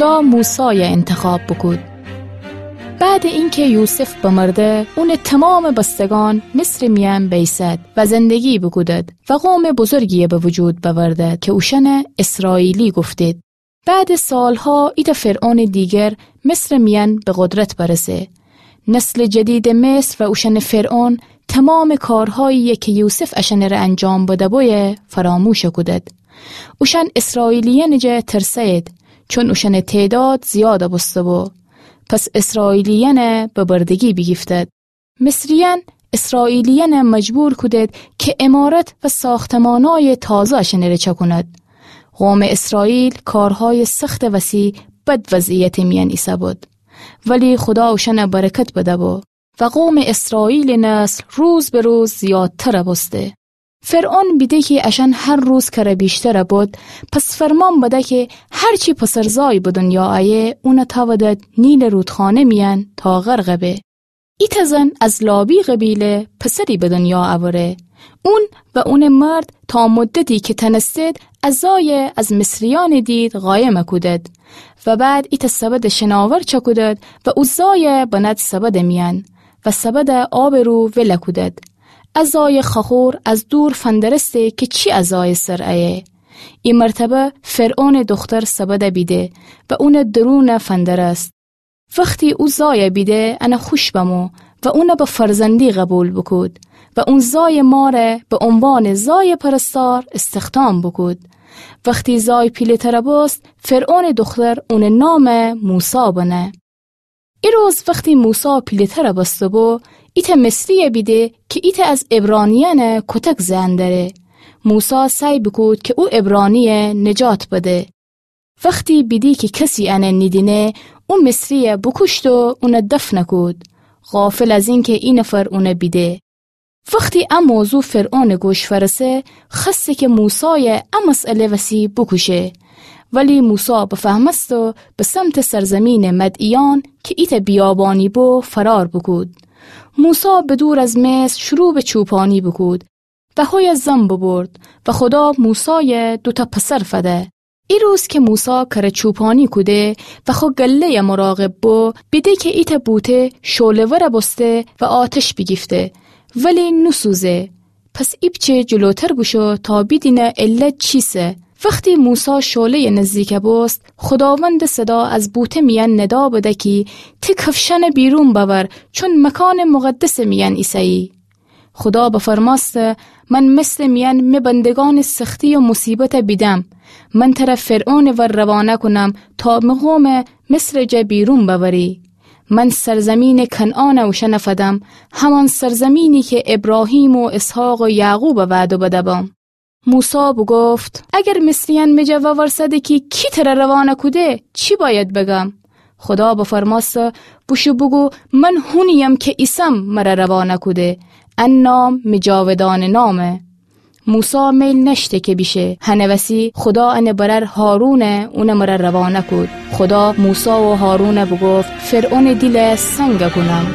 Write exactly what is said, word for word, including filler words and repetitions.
خدا موسایَ انتخاب بوکود. بعدٚ اینکه یوسف بمرده، اونٚ تومامٚ بستگأن مصرٚ میأن بیسد و زندگی بوکودد و قومٚ بزرگی‌یَ به وجود بأوردد که اوشأنَ اسرائیلی گفتید. بعدٚ سالها ایتأ فرعونٚ دیگر مصرٚ میأن به قدرت برسه. نسلٚ جدیدٚ مصر و اوشأنٚ فرعون تومامٚ کارهایی‌یَ که یوسف اشأنٚره انجام بده‌بویه فراموش کودد. اوشأن اسرائیلیأنٚ جا ترسه‌یید، چون اوشأنٚ تعداد زیاد بوسته‌بو. پس اسرائیلیأنَ به بردگی بیگیفتد. مصریأن اسرائیلیأنَ مجبور کودید که عمارت و ساختمانای تازه اشأنٚره چأکوند. قومٚ اسرائیل کارهای سختٚ وسی بد وضعیتٚ میأن ایسه‌بود. ولی خدا اوشأنَ برکت بده‌بو و قومٚ اسرائیلٚ نسل روز به روز زیادتر بوسته. فرعون بیده کی اشأن هر روز کره ویشتر بود، پس فرمان بده کی هر چی پسرزای به دنیا ایه، اونَ تأودد نیلٚ رودخانه میأن تا غرق به. ایتأ زن از لابی قبیله پسری به دنیا اوره. اون و اونٚ مرد تا مدتی که تنستید، ا زایَ از مصریأنٚ دید قایم کودید. و بعد ایتأ سبدٚ شناور چأکودید و او زایَ بند سبدٚ میأن و سبدَ آبٚ رو ول کودید. ا زایٚ خاخور از دور فندرسته که چی ا زایٚ سر ایه. ای مرتبه فرعونٚ دختر سبدَ بیده و اونٚ درونَ فندرست. وختی او زایَ بیده، انَ خوش بمو و اونَ به فرزندی قبول بوکود و اون زایٚ مارَ به عنوانٚ زایٚ پرستار استخدام بوکود. وختی زای پیله‌تر بوست، فرعونٚ دختر اونٚ نام موسی بنه. ای روز وختی موسی پیله‌تر بوسته‌بو، ایتأ مصری‌یَ بیده که ایتأ از عبرانیأنٚ کوتک زئن دره. موسی سعی بوکود که او عبرانی‌یَ نجات بده. وختی بیدی که کسی انَ نیدینه، او مصری‌یَ بوکوشت و اونَ دفن کود، غافل از اینکه ای نفر اونَ بیده. وختی ا موضوع فرعونٚ گوش فأرسه، خوأسته که موسایَ ا مسئله وسی بوکوشه. ولی موسی بفهمست و به سمتٚ سرزمینٚ مدیان که ایتأ بیابانی بو فرار بوکود. موسی به دور از مصر شروع به چوپانی بوکود و هویَ زن ببرد و خدا موسایَ دوتأ پسر فده. ای روز که موسی کره چوپانی کوده و خو گله‌یَ مراقب بو، بیده که ایتأ بوته شعله‌ور بوسته و آتش بیگیفته، ولی نوسوزه. پس ایپچه جلوتر بوشو تا بیدینه علت چیسه. وختی موسی شعله‌یَ نزدیک بوست، خداوندٚ صدا از بوته میأن ندا بده کی تی کفشأنَ بیرون بأور، چون مکانٚ مقدسٚ میأن ایسه‌یی. خدا بفرمأسته: من مصرٚ میأن می بندگأنٚ سختی و مصیبتَ بیدم. من تره فرعونٚ ور روانه کونم تا می قومَ مصرٚ جا بیرون بأوری. من سرزمینٚ کنعانَ اوشأنَ فدم، همان سرزمینی که ابراهیم و اسحاق و یعقوبَ وعده بده‌بم. موسی بوگفت: اگر مصریأن می جا وورسده کی کی تره روانه کوده، چی بأید بگم؟ خدا بفرمأسته: بوشو بوگو: من هونی‌یم که ایسم مره روانه کوده. ا نام می جاودانه نامه. موسی میل نأشته که بیشه. هنٚ وسی خدا انٚ برأر هارونَ اونٚ مره روانه کود. خدا موسی و هارونَ بوگفت: فرعونٚ دیلَ سنگ کونم.